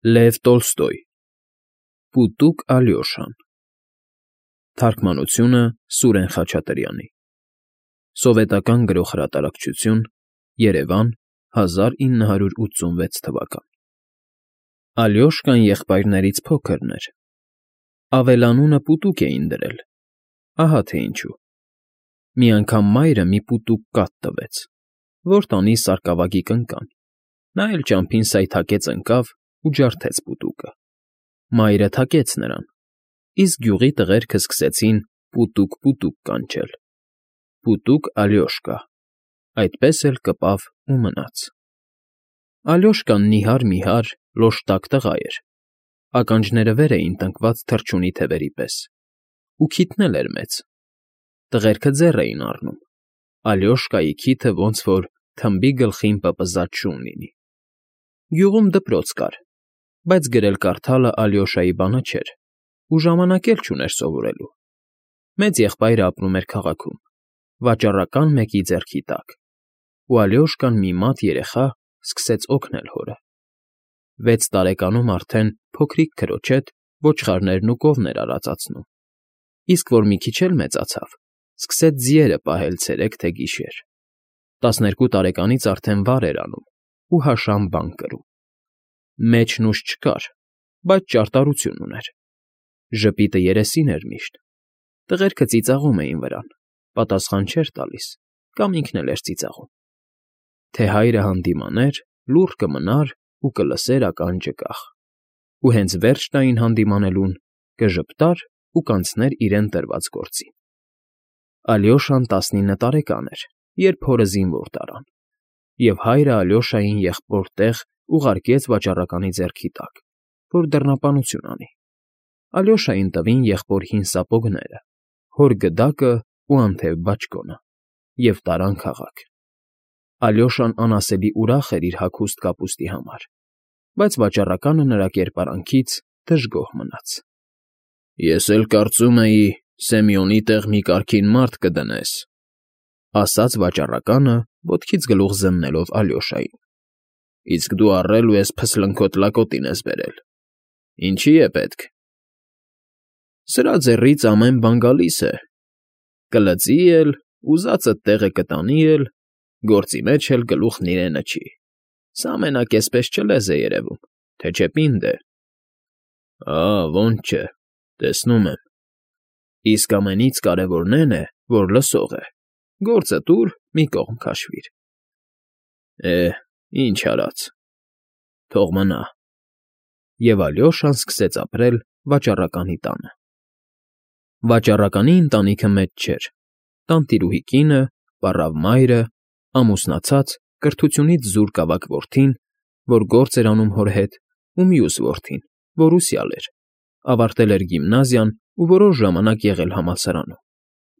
Լև Տոլստոյ Պուտուկ Ալյոշան Թարգմանությունը Սուրեն Խաչատրյանի Սովետական Գրողհրատարակչություն Երևան 1986 թվական Ալյոշկան եղբայրներից փոքրն էր Ավելանունը Պուտուկ էին դրել Ահա թե ինչու Մի անգամ մայրը մի պուտուկ կաթ տվեց Որ տանի սարկավագի կնկան Նա էլ ճամփին սայթաքեց ընկավ ու ջարդեց պուտուկը Մայրը թակեց նրան Իսկ գյուղի տղերքը սկսեցին Պուտուկ կանչել Պուտուկ Ալյոշկա Այդպես էլ կպավ ու մնաց Ալյոշկան նիհար լոշտակ տղա էր Ականջները վեր էին տնկված թռչունի թևերի պես ու քիթն էլ էր մեծ Տղերքը ձեռ էին առնում Ալյոշկայի քիթը ոնց որ թմբի գլխին պպզած շուն լինի Գյուղում դպրոց կար Բայց գրել֊կարդալը Ալյոշայի բանը չէր ու ժամանակ էլ չուներ սովորելու Մեծ եղբայրը ապրում էր քաղաքում Վաճառական մեկի ձեռքի տակ ու Ալյոշկան մի մատ երեխա սկսեց օգնել հորը 6 տարեկանում արդեն փոքրիկ քրոջ հետ ոչխարներն ու կովներ արածացնում Իսկ որ մի քիչ էլ մեծացավ Սկսեց ձիերը պահել ցերեկ թե գիշեր 12 տարեկանից արդեն վար էր անում ու հաշամ բան կրում Մեջն ուժ չկար, բայց ճարտարություն ուներ Ժպիտը երեսին էր միշտ Տղերքը ծիծաղում էին վրան, պատասխան չէր տալիս կամ ինքն էլ էր ծիծաղում Թե հայրը հանդիմաներ, լուռ կմնար ու կլսեր ականջը կախ Ու հենց վերջ տային հանդիմանելուն, կժպտար ու կանցներ իրեն տրված գործին Ալյոշան 19 տարեկան էր, երբ հորը զինվոր տարան Եվ հայրը Ալյոշային եղբոր տեղ ուղարկեց վաճառականի ձեռքի տակ, որ դռնապանություն անի Ալյոշային տվին եղբոր հին սապոգները, հոր գդակը ու անթև բաճկոնը և տարան քաղաք Ալյոշան անասելի ուրախ էր իր հագուստ կապուստի համար, բայց վաճառականը նրա կերպարանքից դժգոհ մնաց Ես էլ կարծում էի Սեմյոնի տեղ մի կարգին մարդ կդնես, ասաց վաճառականը, ոտքից գլուխ զննելով Ալյոշային Իսկ դու առել ու էս փսլնքոտ լակոտին ես բերել, ինչի է պետք Սրա ձեռից ամեն բան գալիս է, կլծի էլ, ուզածդ տեղը կտանի էլ, գործի մեջ էլ գլուխն իրենը չի, սա մենակ էսպես չլեզ է երևում, թե չէ պինդ է, ոնց չէ, տեսնում եմ, իսկ ամենից կարևորն էն է, որ լսող է, գործը տուր, մի կողմ քաշվիր, ինչ արած, թող մնա, և Ալյոշան սկսեց ապրել վաճառականի տանը Վաճառականի ընտանիքը մեծ չէր, տանտիրուհի կինը, պառավ մայրը, ամուսնացած, կրթությունից զուրկ ավագ որդին, որ գործ էր անում հոր հետ, ու մյուս որդին, որ ուսյալ էր, ավարտել էր գիմնազիան ու որոշ ժամանակ եղել համալսարանում,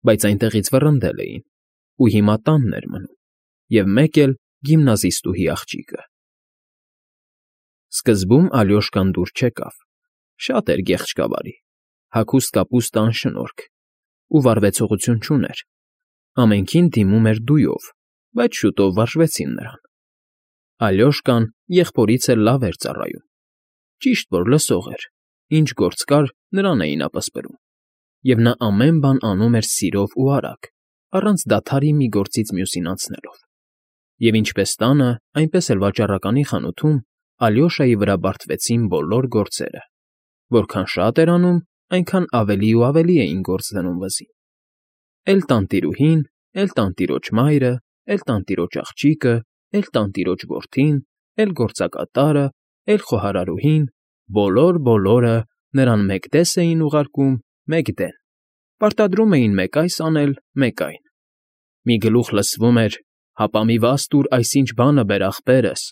բայց այնտեղից վռնդել էին, ու հիմա տանն էր մնում, և մեկ էլ գիմնազիստուհի աղջիկը Սկզբում Ալյոշկան դուր չեկավ, շատ էր գեղեցկավարի, հագուստ կապուստ անշնորհք ու վարվեցողություն չուներ, ամենքին դիմում էր դույով, բայց շուտով վարժվեցին նրան Ալյոշկան եղբորից էլ լավ էր ծառայում, ճիշտ որ լսող էր, ինչ գործ կար, նրան էին ապսպրում, և նա ամեն բան անում էր սիրով ու արագ, առանց դադարի մի գործից մյուսին անցնելով Եվ ինչպես տանը, այնպես էլ վաճառականի խանութում Ալյոշայի վրա բարդվեցին բոլոր գործերը, որքան շատ էր անում, այնքան ավելի ու ավելի էին գործ դնում վզին Էլ տանտիրուհին, էլ տանտիրոջ մայրը, էլ տանտիրոջ աղջիկը, էլ տանտիրոջ որդին, էլ գործակատարը, էլ խոհարարուհին, բոլորը նրան մեկ դես էին ուղարկում, մեկ դեն, պարտադրում էին մեկ այս անել, մեկ այն Մի գլուխ լսվում էր «Հապա մի վազ տուր այսինչ բանը բեր ախպերս»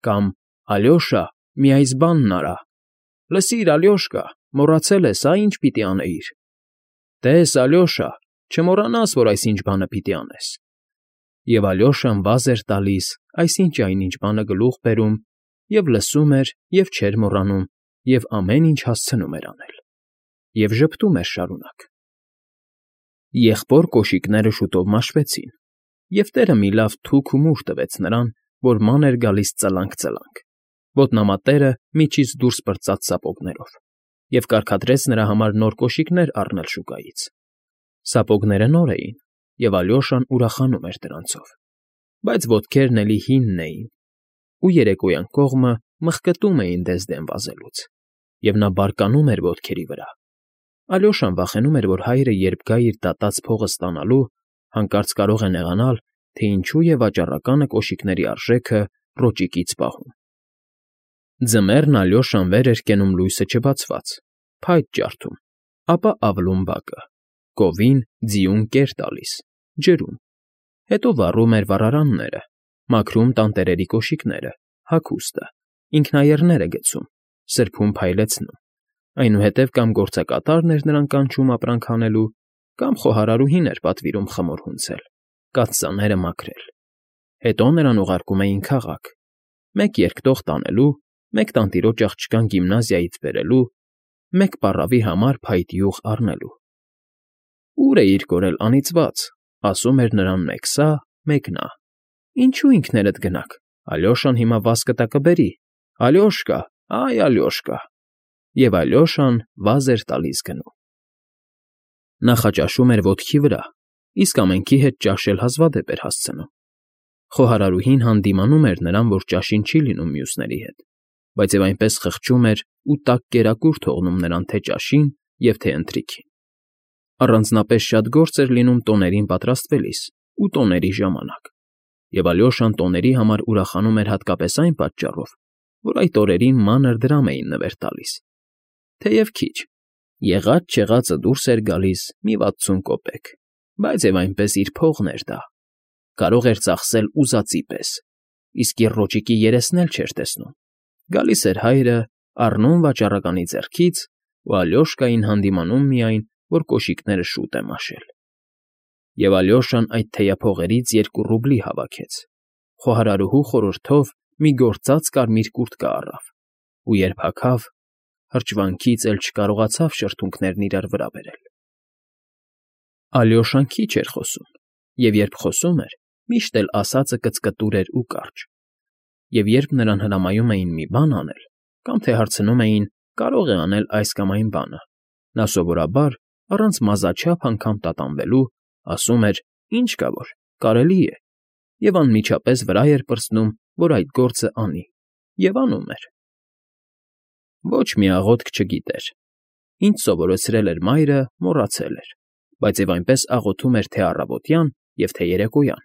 կամ «Ալյոշա, մի այս բանն արա»։ Լսիր, Ալյոշկա, մոռացել ես, ինչ պիտի անեիր։ Տես, Ալյոշա, չմոռանաս, որ այսինչ բանը պիտի անես։ Եվ Ալյոշան վազ էր տալիս, այսինչ այնինչ բանը գլուխ բերում, և լսում էր, և չէր մոռանում, և ամեն ինչ հասցնում էր անել։ Եվ ժպտում էր շարունակ։ Եղբոր կոշիկները շուտով մաշվեցին, և տերը մի լավ թուք ու մուր տվեց նրան, որ ման էր գալիս ծլանք, Ոտնամատերը միջից դուրս պրծաց սապոգներով և կարգադրեց նրա համար նոր կոշիկներ առնել շուկայից. սապոգները նոր էին, և Ալյոշան ուրախանում էր դրանցով, բայց ոտքերն էլի հինն էին, ու երեկոյան կողմը մխկտում էին դեսդեն վազելուց, և նա բարկանում էր ոտքերի վրա. Ալյոշան վախենում էր, որ հայրը, երբ գա իր դատած փողը ստանալու, հանկարծ կարող է նեղանալ, թե ինչու է վաճառականը կոշիկների արժեքը ռոճիկից պահում։ Ձմեռն Ալյոշան վեր էր կենում լույսը չբացված, փայտ ջարդում, ապա ավլում բակը, գովին ձիուն կեր տալիս, ջրում, հետո վառում էր վառարանները, մաքրում տանտերերի կոշիկները, հագուստը, ինքնաեռները գցում, սրբում փայլեցնում, այնուհետև կամ գործակատարն էր նրան կանչում ապրանք հանելու, կամ խոհարարուհին էր պատվիրում խմոր հունցել, կաթսաները մաքրել։ Հետո նրան ուղարկում էին քաղաք, մեկ երկտող տանելու, մեկ տանտիրոջ աղջկան գիմնազիայից բերելու, մեկ պառավի համար փայտ յուղ առնելու։ «Ո՞ւր էիր կորել, անիծված», ասում էր նրան մեկ սա, մեկ նա։ «Ինչու ինքներդ գնաք, Ալյոշան հիմա վազ կտա կբերի, Ալյոշկա, այ Ալյոշկա», և Ալյոշան վազ էր տալիս գնում։ Նախաճաշում էր ոտքի վրա, իսկ ամենքի հետ ճաշել հազվադեպ էր հասցնում։ Խոհարարուհին հանդիմանում էր նրան, որ ճաշին չի լինում մյուսների հետ, բայց և այնպես խղճում էր ու տաք կերակուր թողնում նրան թե ճաշին և թե ընթրիքին։ Առանձնապես շատ գործ էր լինում տոներին պատրաստվելիս ու տոների ժամանակ, և Ալյոշան տոների համար ուրախանում էր հատկապես այն պատճառով, որ այդ օրերին մանր դրամ էին նվեր տալիս, թեև քիչ, եղած֊չեղածը դուրս էր գալիս մի 60 կոպեկ, բայց և այնպես իր փողն էր դա, կարող էր ծախսել ուզածի պես, իսկ եռոճիկի երեսն էլ չէր տեսնում, գալիս էր հայրը, առնում վաճառականի ձեռքից ու Ալյոշկային հանդիմանում միայն, որ կոշիկները շուտ է մաշել։ Եվ Ալյոշան այդ թեյափողերից 2 ռուբլի հավաքեց, խոհարարուհու խորհրդով մի գործած կարմիր կուրտկա առավ, ու երբ հագավ, հրճվանքից էլ չկարողացավ շրթունքներն իրար վրա բերել։ Ալյոշան քիչ էր խոսում, և երբ խոսում էր, միշտ էլ ասածը կծկտուր էր ու կարճ, և երբ նրան հրամայում էին մի բան անել, կամ թե հարցնում էին կարող է անել այս կամ այն բանը, նա սովորաբար, առանց մազաչափ անգամ տատանվելու, ասում էր. «Ինչ կա որ, կարելի է», և անմիջապես վրա էր պրծնում, որ այդ գործը անի, և անում էր։ Ոչ մի աղոթք չգիտեր։ Ինչ սովորեցրել էր մայրը, մոռացել էր, բայց և այնպես աղոթում էր թե առավոտյան և թե երեկոյան,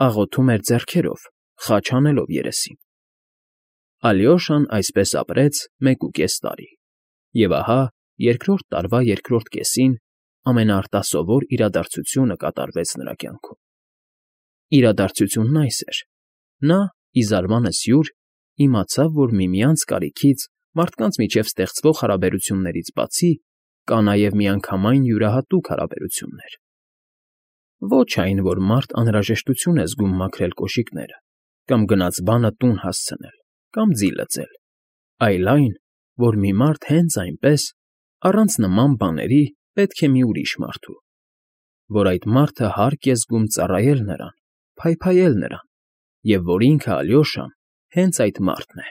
աղոթում էր ձեռքերով, խաչ հանելով երեսին։ Ալյոշան այսպես ապրեց 1.5 տարի, և ահա երկրորդ տարվա երկրորդ կեսին ամենաարտասովոր իրադարձությունը կատարվեց նրա կյանքում։ Իրադարձությունն այս էր. նա, ի զարմանս յուր, իմացավ, որ միմյանց կարիքից մարդկանց միջև ստեղծվող հարաբերություններից բացի կա նաև միանգամայն յուրահատուկ հարաբերություններ։ Ոչ այն, որ մարդ անհրաժեշտություն է զգում մաքրել կոշիկները, կամ գնած բանը տուն հասցնել, կամ ձի լծել, այլ այն, որ մի մարդ հենց այնպես, առանց նման բաների, պետք է մի ուրիշ մարդու, որ այդ մարդը հարկ է զգում ծառայել նրան, փայփայել նրան, և որ ինքը Ալյոշան հենց այդ մարդն է։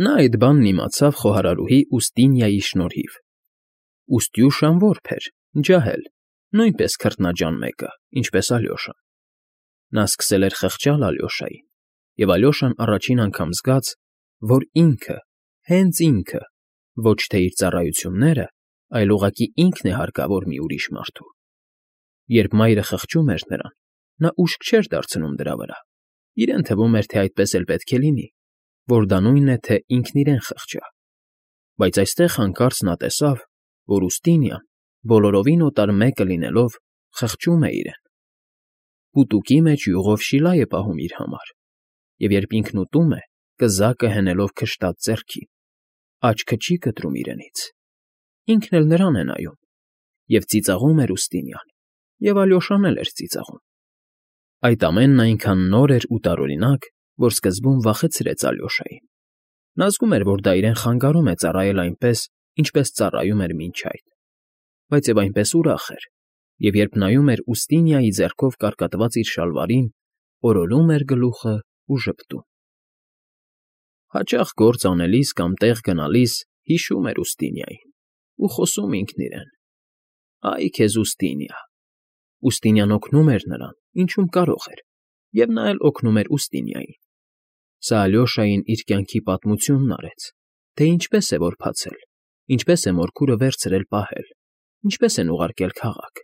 Նա այդ բանն իմացավ խոհարարուհի Ուստինիայի շնորհիվ։ Ուստյուշան որբ էր, ջահել, նույնպես քրտնաջան մեկը, ինչպես Ալյոշան։ Նա սկսել էր խղճալ Ալյոշային, և Ալյոշան առաջին անգամ զգաց, որ ինքը, հենց ինքը, ոչ թե իր ծառայությունները, այլ ուղղակի ինքն է հարկավոր մի ուրիշ մարդու։ Երբ մայրը խղճում էր նրան, նա ուշք չէր դարձնում դրա վրա, իրեն թվում էր, թե այդպես էլ պետք է լինի, որ դա նույնն է, թե ինքն իրեն խղճա։ Բայց այստեղ հանկարծ նա տեսավ, որ Ուստինիան, բոլորովին օտար մեկը լինելով, խղճում է իրեն։ Պուտուկի մեջ յուղով շիլա է պահում իր համար, և երբ ինքն ուտում է, կզակը հենելով քշտած ձեռքին, աչքը չի կտրում իրենից, ինքն էլ նրան է նայում, և ծիծաղում էր Ուստինիան, և Ալյոշան էլ էր ծիծաղում։ Այդ ամենն այնքան նոր էր ու տարօրինակ, որ սկզբում վախեցրեց Ալյոշային։ Նա զգում էր, որ դա իրեն խանգարում է ծառայել այնպես, ինչպես ծառայում էր մինչ այդ, բայց և այնպես ուրախ էր, և երբ նայում էր Ուստինիայի ձեռքով կարկատված իր շալվարին, օրորում էր գլուխը ու ժպտում։ Հաճախ գործ անելիս կամ տեղ գնալիս հիշում էր Ուստինիային ու խոսում ինքն իրեն. «Այ քեզ Ուստինիա»։ Ուստինիան օգնում էր նրան, ինչում կարող էր, և նա էլ օգնում էր Ուստինիային։ Սա Ալյոշային իր կյանքի պատմությունն արեց, թե ինչպես է որբացել, ինչպես է մորքուրը վերցրել պահել, ինչպես են ուղարկել քաղաք,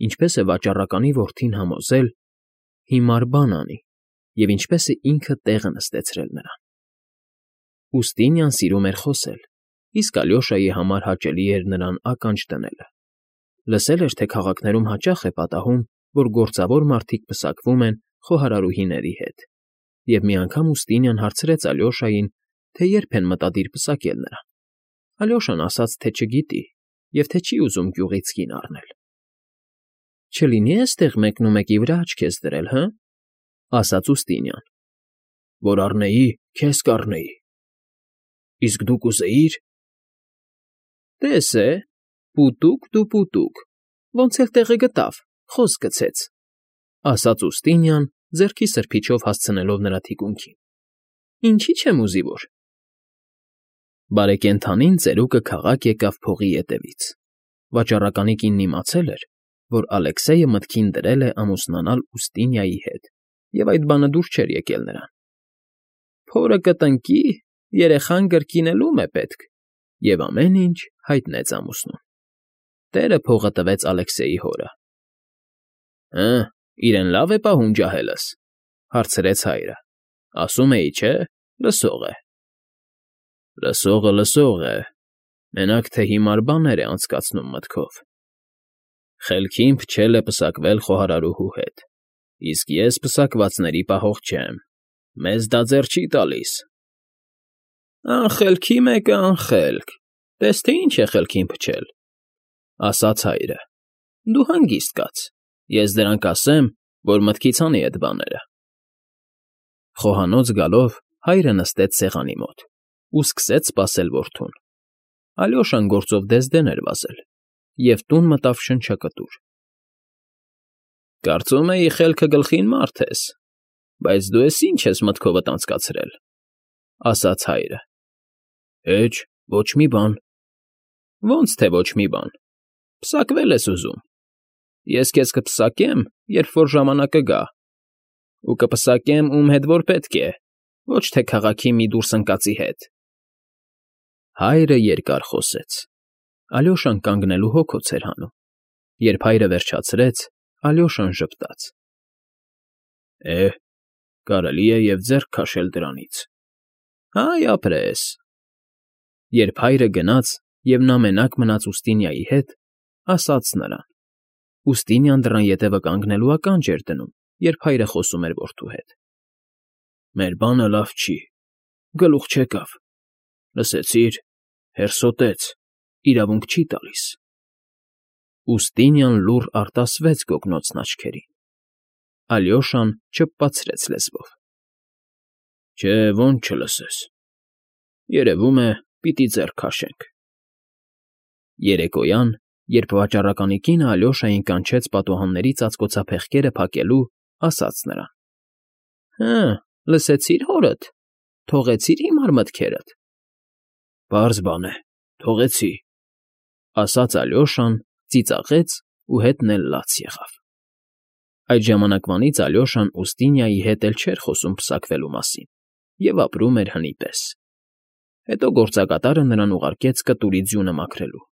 ինչպես է վաճառականի որդին համոզել հիմար բան անի և ինչպես է ինքը տեղը նստեցրել նրան։ Ուստինիան սիրում էր խոսել, իսկ Ալյոշայի համար հաճելի էր նրան ականջ դնելը։ Լսել էր, թե քաղաքներում հաճախ է պատահում, որ գործավոր մարդիկ պսակվում են խոհարարուհիների հետ, և մի անգամ Ուստինիան հարցրեց Ալյոշային, թե երբ են մտադիր պսակել նրան։ Ալյոշան ասաց, թե չգիտի և թե չի ուզում գյուղից կին առնել։ «Չլինի՞ էստեղ մեկնումեկի վրա աչք ես դրել, հը» ասաց Ուստինիան։ «Որ առնեի, քեզ կառնեի։ Իսկ դու կուզեի՞ր»։ «Տես է, պուտուկ դու պուտուկ, ոնց էլ տեղը գտավ, խոսք գցեց», ասաց Ուստինիան, ձեռքի սրբիչով հասցնելով նրա թիկունքին։ «Ինչի՞ չեմ ուզի որ»։ Բարեկենդանին ծերուկը քաղաք եկավ փողի ետևից։ Վաճառականի կինն իմացել էր, որ Ալեքսեյը մտքին դրել է ամուսնանալ Ուստինիայի հետ, և այդ բանը դուր չէր եկել նրան։ «Փորը կտնկի, երեխան կրկինելում է պետք», և ամեն ինչ հայտնեց ամուսնուն։ Տերը փողը տվեց Ալեքսեյի հորը։ «Հը, իրեն լավ է պահում ջահելս», հարցրեց հայրը։ «Ասում էի, չէ՞, լսող է»։ «Լսողը լսող է, մենակ թե հիմար բաներ է անցկացնում մտքով։ Խելքին փչել է պսակվել խոհարարուհու հետ, իսկ ես պսակվածների պահող չեմ, մեզ դա ձեռ չի տալիս»։ «Անխելքի մեկը անխելք, տես թե ինչ է խելքին փչել», ասաց հայրը։ «Դու հանգիստ կաց, ես դրանք ասեմ, որ մտքից հանի էդ բաները»։ Խոհանոց գալով հայրը նստեց սեղանի մոտ ու սկսեց սպասել որդուն։ Ալյոշան գործով դեսդեն էր վազել, և տուն մտավ շնչակտուր։ «Կարծում էի խելքը գլխին մարդ ես, բայց դու էս ինչ ես մտքովդ անցկացրել», ասաց հայրը։ «Հեչ, ոչ մի բան»։ «Ոնց թե ոչ մի բան, պսակվել ես ուզում։ Ես քեզ կպսակեմ, երբ որ ժամանակը գա, ու կպսակեմ ում հետ որ պետք է, ոչ թե քաղաքի մի դուրս ընկածի հետ»։ Հայրը երկար խոսեց։ Ալյոշան կանգնելու հոգոց էր հանում։ Երբ հայրը վերջացրեց, Ալյոշան ժպտաց. Կարելի է և ձեռք քաշել դրանից։ Հայ ապրես։ Երբ հայրը գնաց, և նա մենակ մնաց Ուստինիայի հետ, ասաց նրան. Ուստինիան դռան ետևը կանգնելու ականջ էր դնում, երբ հայրը խոսում էր որդու հետ։ «Մեր բանը լավ չի, գլուխ չեկավ, լսեցի՞ր, հերսոտեց, իրավունք չի տալիս»։ Ուստինիան լուռ արտասվեց գոգնոցն աչքերին։ Ալյոշան չփպացրեց լեզվով։ Չէ, ոնց չլսես։ Երևում է, պիտի ձեռք քաշենք։ Երեկոյան, երբ վաճառականի կինը Ալյոշային կանչեց պատուհանների ծածկոցափեղկերը փակելու, ասաց նրան. «Հը, լսեցի՞ր հորդ, թողեցի՞ր հիմար մտքերդ»։ «Պարզ բան է, թողեցի», ասաց Ալյոշան, ծիծաղեց ու հետն էլ լաց եղավ։ Այդ ժամանակվանից Ալյոշան Ուստինիայի հետ էլ չէր խոսում պսակվելու մասին և ապրում էր հնի պես։ Հետո գործակատարը նրան ուղարկեց կտուրի ձյունը մաքրելու։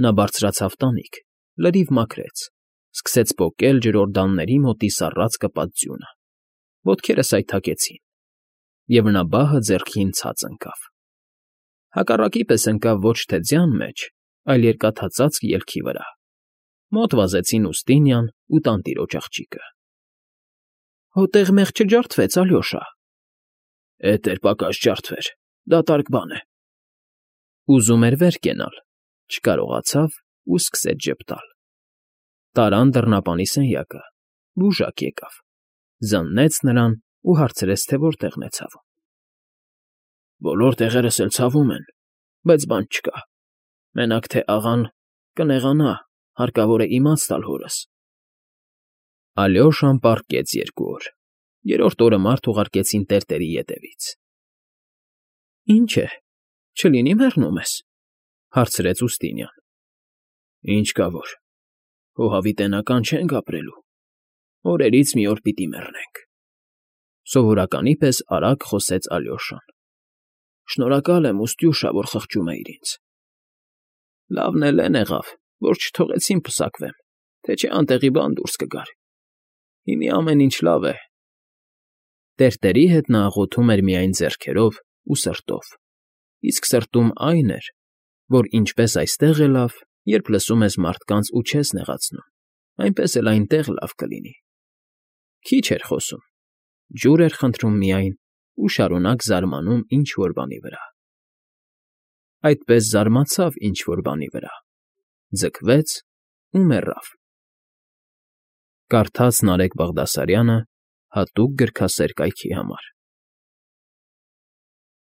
Նա բարձրացավ տանիք, լրիվ մաքրեց, սկսեց պոկել ջրօրդանների մոտի սառած կպած ձյունը։ Ոտքերը սայթաքեցին, և նա բահը ձեռքին ցած ընկավ։ Հակառակի պես ընկավ ոչ թե ձյան մեջ, այլ երկաթածածկ ելքի վրա։ Մոտ վազեցին Ուստինիան ու տանտիրոջ աղջիկը։ «Հո տեղ մեղ չջարդվեց, Ալյոշա»։ «Էդ էլ պակաս ջարդվեր, դատարկ բան է»։ Ուզում էր վեր կենալ, չկարողացավ ու սկսեց ժպտալ։ Տարան դռնապանի սենյակը, բուժակ եկավ, զննեց նրան ու հարցրեց, թե որտեղն է ցավում։ «Բոլոր տեղերս էլ ցավում են, բայց բան չկա, մենակ թե աղան կնեղանա, հարկավոր է իմաց տալ հորս»։ Ալյոշան պառկեց 2 օր։ Երրորդ օրը մարդ ուղարկեցին տերտերի ետևից։ Ինչ է, չլինի մեռնում ես,֊ հարցրեց Ուստինյան։ Ինչ կա որ, քո հավիտենական չենք ապրելու, օրերից մի օր պիտի մեռնենք,֊ սովորականի պես արագ խոսեց Ալյոշան։ Շնորհակալ եմ, Ուստյուշա, որ խղճում էիր ինձ։ Լավն էլ էն եղավ, որ չթողեցին պսակվեմ, թե չէ անտեղի բան դուրս կգար։ Հիմի ամեն ինչ լավ է։ Տերտերի հետ նա աղոթում էր միայն ձեռքերով ու սրտով, իսկ սրտում այն էր, որ ինչպես այստեղ է լավ, երբ լսում ես մարդկանց ու չես նեղացնում, այնպես էլ այնտեղ լավ կլինի։ Քիչ էր խոսում, ջուր էր խնդրում միայն ու շարունակ զարմանում ինչ֊որ բանի վրա։ Այդպես զարմացավ ինչ֊որ բանի վրա, ձգվեց ու մեռավ։ Կարդաց Նարեկ Բաղդասարյանը հատուկ գրքասեր կայքի համար։